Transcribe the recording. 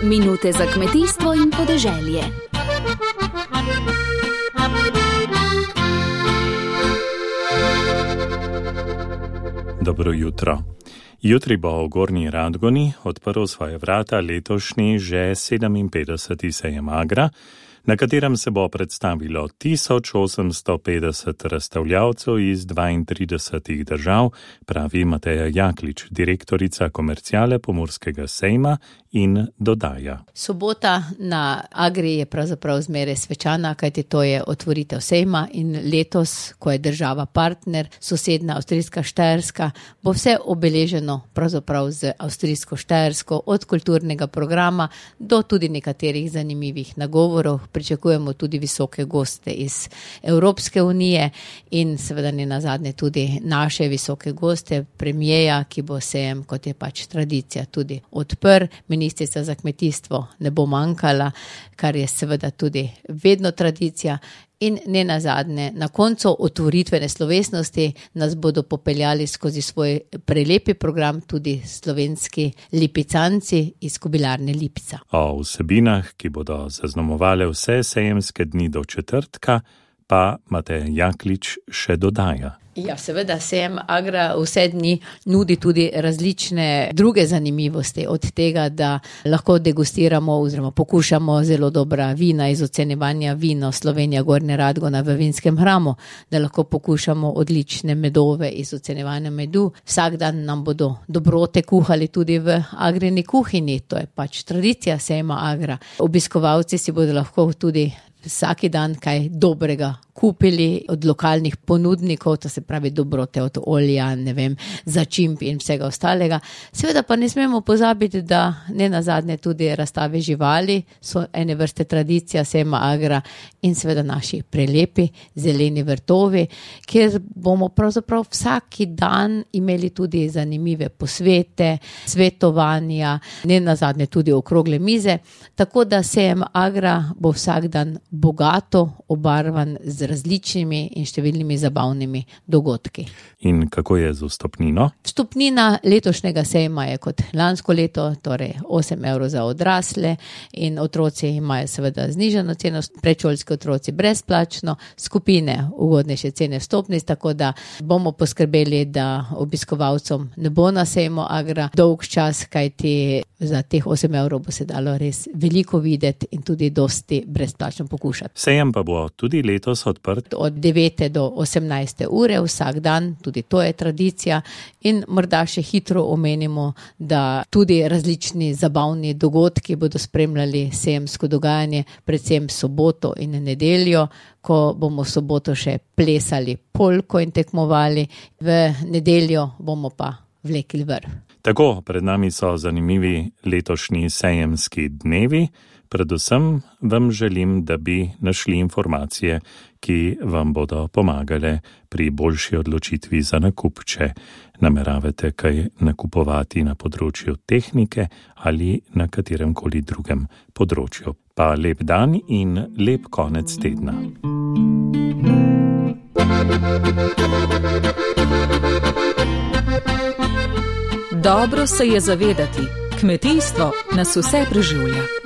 Minute za kmetijstvo in podeželje. Dobro jutro. Jutri bo v Gornji Radgoni odprl svoje vrata letošnji že 57. sejem Agra, na katerem se bo predstavilo 1850 razstavljavcev iz 32 držav, pravi Mateja Jaklič, direktorica komerciale Pomurskega sejma, in dodaja. Sobota na Agri je pravzaprav zmeraj svečana, kajti to je otvoritev sejma in letos, ko je država partner, sosedna avstrijska Štajerska, bo vse obeleženo pravzaprav z avstrijsko Štajersko, od kulturnega programa do tudi nekaterih zanimivih nagovorov. Pričakujemo tudi visoke goste iz Evropske unije in seveda ne nazadnje tudi naše visoke goste, premijeja, ki bo sejem, kot je pač tradicija, tudi odprl. Ministrica za kmetijstvo ne bo manjkala, kar je seveda tudi vedno tradicija. In ne nazadnje, na koncu otvoritvene slovesnosti nas bodo popeljali skozi svoj prelepi program tudi slovenski lipicanci iz Kobilarne Lipica. O vsebinah, ki bodo zaznamovale vse sejemske dni do četrtka, pa Mateja Jaklič še dodaja. Ja, seveda sejem Agra vse dni nudi tudi različne druge zanimivosti, od tega, da lahko degustiramo oziroma pokušamo zelo dobra vina iz ocenjevanja vino Slovenija Gornja Radgona v vinskem hramu, da lahko pokušamo odlične medove iz ocenjevanja medu. Vsak dan nam bodo dobrote kuhali tudi v Agrini kuhinji, to je pač tradicija sejma Agra. Obiskovalci si bodo lahko tudi vsaki dan kaj dobrega kupili od lokalnih ponudnikov, to se pravi dobrote od olja, začimb in vsega ostalega. Seveda pa ne smemo pozabiti, da ne nazadnje tudi razstave živali so ene vrste tradicija sejma Agra in seveda naši prelepi zeleni vrtovi, kjer bomo pravzaprav vsaki dan imeli tudi zanimive posvete, svetovanja, ne nazadnje tudi okrogle mize, tako da sejem Agra bo vsak dan bogato obarvan z različnimi in številnimi zabavnimi dogodki. In kako je z vstopnino? Vstopnina letošnjega sejma je kot lansko leto, torej 8 € za odrasle in otroci imajo seveda znižano ceno, predšolski otroci brezplačno, skupine ugodnejše cene vstopnic, tako da bomo poskrbeli, da obiskovalcem ne bo na sejmu Agra dolg čas, kajti za teh 8 € bo se dalo res veliko videti in tudi dosti brezplačno pokušati. Sejem pa bo tudi letos odprt od 9. do 18. ure vsak dan, tudi to je tradicija, in morda še hitro omenimo, da tudi različni zabavni dogodki bodo spremljali sejemsko dogajanje, predvsem soboto in nedeljo, ko bomo v soboto še plesali polko in tekmovali, v nedeljo bomo pa vlekli vrv. Tako, pred nami so zanimivi letošnji sejemski dnevi. Predvsem vam želim, da bi našli informacije, ki vam bodo pomagale pri boljši odločitvi za nakup, če nameravate kaj nakupovati na področju tehnike ali na kateremkoli drugem področju. Pa lep dan in lep konec tedna. Dobro se je zavedati, kmetijstvo nas vse preživlja.